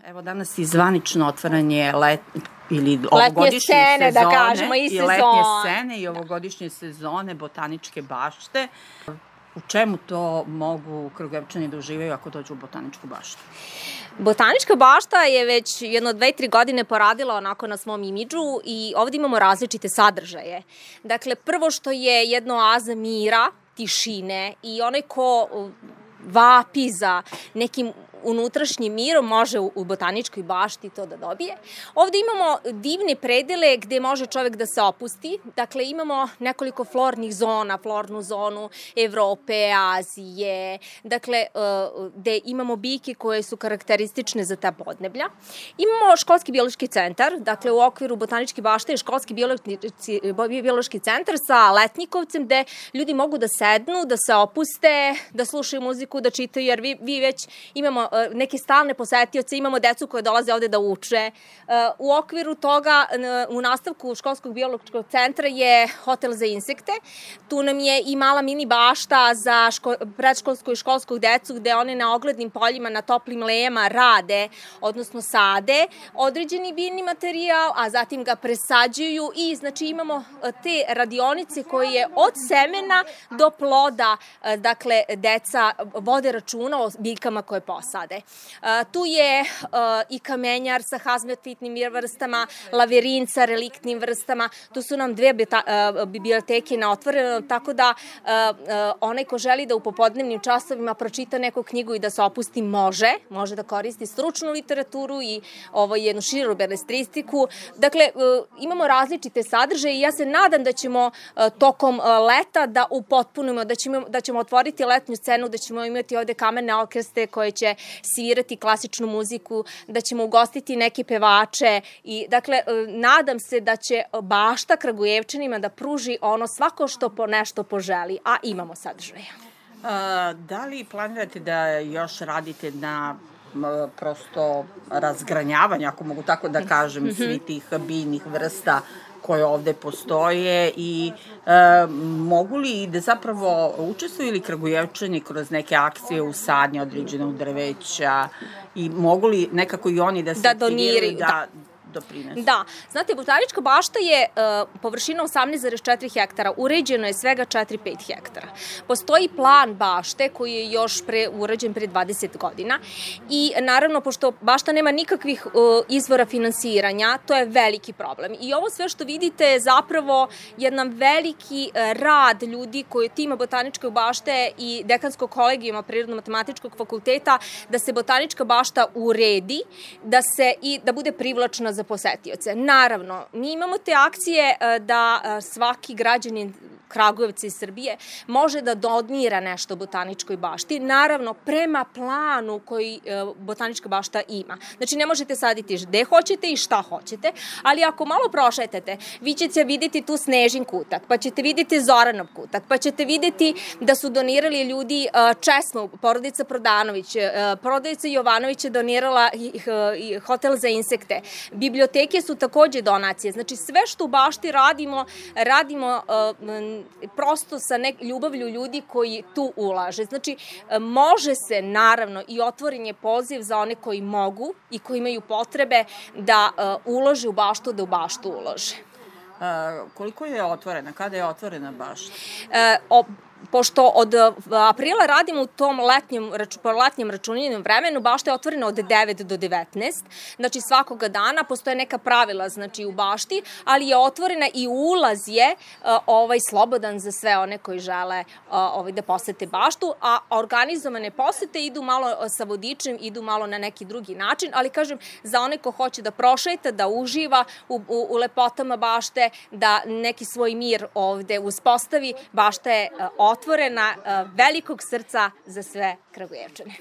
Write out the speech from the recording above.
Evo danas je zvanično otvaranje ili ovogodišnje scene, sezone, da kažemo, i letnje scene i ovogodišnje sezone Botaničke bašte. U čemu to mogu Kragujevčani da uživaju ako dođu u Botaničku baštu? Botanička bašta je već jedno 2-3 godine poradila onako na svom imidžu i ovde imamo različite sadržaje. Dakle, prvo što je jedno oaza mira, tišine i onaj ko vapi za nekim unutrašnjim mirom može u Botaničkoj bašti to da dobije. Ovde imamo divne predele gde može čovek da se opusti. Dakle, imamo nekoliko flornih zona, flornu zonu Evrope, Azije, dakle, gde imamo biljke koje su karakteristične za ta podneblja. Imamo školski biološki centar, dakle, u okviru Botaničke bašte je školski biološki centar sa letnjikovcem gde ljudi mogu da sednu, da se opuste, da slušaju muziku, da čitaju, jer vi već imamo neke stalne posetioce, imamo decu koje dolaze ovde da uče. U okviru toga, u nastavku školskog biološkog centra je hotel za insekte. Tu nam je i mala mini bašta za predškolsku i školsku decu, gde one na oglednim poljima, na toplim lejama rade, odnosno sade određeni biljni materijal, a zatim ga presađuju i znači imamo te radionice koje od semena do ploda, dakle, deca vode računa o biljkama koje posade. Tu je i kamenjar sa hazmatitnim vrstama, lavirin sa reliktnim vrstama. Tu su nam 2 biblioteke na otvorenom, tako da onaj ko želi da u popodnevnim časovima pročita neku knjigu i da se opusti može da koristi stručnu literaturu i jednu širu beletristiku. Dakle, imamo različite sadržaje i ja se nadam da ćemo tokom leta da upotpunimo, da ćemo otvoriti letnju scenu, da ćemo imati ovde kamerne orkestre koje će svirati klasičnu muziku, da ćemo ugostiti neke pevače i, dakle, nadam se da će bašta Kragujevčanima da pruži ono svako što nešto poželi, a imamo sadržaja. Da li planirate da još radite na prosto razgranjavanju, ako mogu tako da kažem, svih tih biljnih vrsta koje ovde postoje i mogu li da zapravo učestvuju ili Kragujevčani kroz neke akcije usadnje određenog drveća i mogu li nekako i oni da se aktiviraju da doprinesu? Da, znate, Botanička bašta je površina 18,4 hektara, uređeno je svega 4-5 hektara. Postoji plan bašte koji je još urađen pre 20 godina i naravno, pošto bašta nema nikakvih izvora finansiranja, to je veliki problem. I ovo sve što vidite je zapravo jedan veliki rad ljudi koji tima Botaničke bašte i dekanskog kolegijuma Prirodno-matematičkog fakulteta da se Botanička bašta uredi, da bude privlačna za posetioce. Naravno, mi imamo te akcije da svaki građanin Kragujevca i Srbije može da donira nešto Botaničkoj bašti, naravno prema planu koji Botanička bašta ima. Znači, ne možete saditi gde hoćete i šta hoćete, ali ako malo prošetate, vi ćete videti tu Snežin kutak, pa ćete videti Zoranov kutak, pa ćete videti da su donirali ljudi česmu, porodica Prodanović, porodica Jovanović je donirala hotel za insekte, biblioteke su takođe donacije. Znači, sve što u bašti radimo prosto sa ljubavlju ljudi koji tu ulaže. Znači, može se, naravno, i otvoren je poziv za one koji mogu i koji imaju potrebe da ulože u baštu, da u baštu ulože. Koliko je otvorena? Kada je otvorena bašta? Pošto od aprila radimo u tom letnjem računanjem vremenu, bašta je otvorena od 9 do 19, znači svakoga dana postoje neka pravila, znači u bašti, ali je otvorena i ulaz je slobodan za sve one koji žele da posete baštu, a organizovane posete idu malo sa vodičem, idu malo na neki drugi način, ali kažem, za one ko hoće da prošeta, da uživa u lepotama bašte, da neki svoj mir ovde uspostavi, bašta je otvorena velikog srca za sve Kragujevčane.